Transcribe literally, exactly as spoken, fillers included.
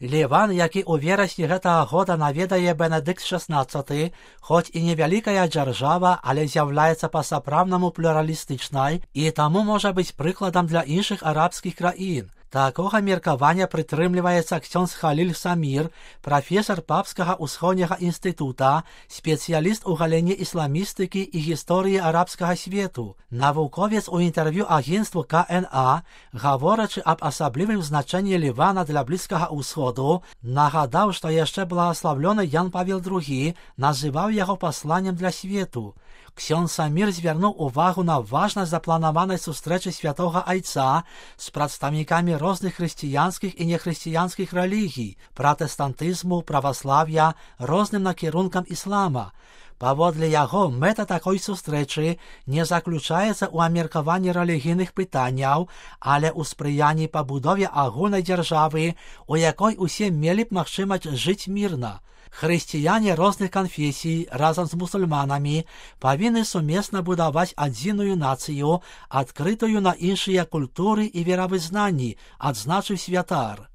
Ліван, які ў верасні гэтага года наведае Бенедыкт шаснаццаты, хоць і невялікая дзяржава, але з'яўляецца па-сапраўднаму плюралістычнай і таму можа быць прыкладам для іншых арабскіх краін. Такога меркавання прытрымліваецца ксёндз Халіль Самір, прафесар Папскага ўсходняга інстытута, спецыяліст у галіне ісламістыкі і гісторыі арабскага свету. Навуковец у інтэрв'ю агенцтву ка эн а, гаворачы аб асаблівым значэнні Лівана для Блізкага ўсходу, нагадаў, што яшчэ благаславлёны Ян Павел другі называў яго пасланнем для свету. Ксёндз Самір звярнуў увагу на важнасць запланаванай сустрэчы святога айца з прадстаўнікамі розных хрысціянскіх і нехрысціянскіх рэлігій, пратэстантызму, праваслав'я, розным накірункам іслама. Паводле яго, мэта такой сустрэчы не заключаецца ў абмеркаванні рэлігійных пытанняў, але ў спрыянні пабудове агульнай дзяржавы, у якой усе мелі б магчымасць жыць мірна. Хрысціяне розных канфесій разам з мусульманамі павінны сумесна будаваць адзіную нацыю, адкрытую на іншыя культуры і веравызнанні, адзначыў святар.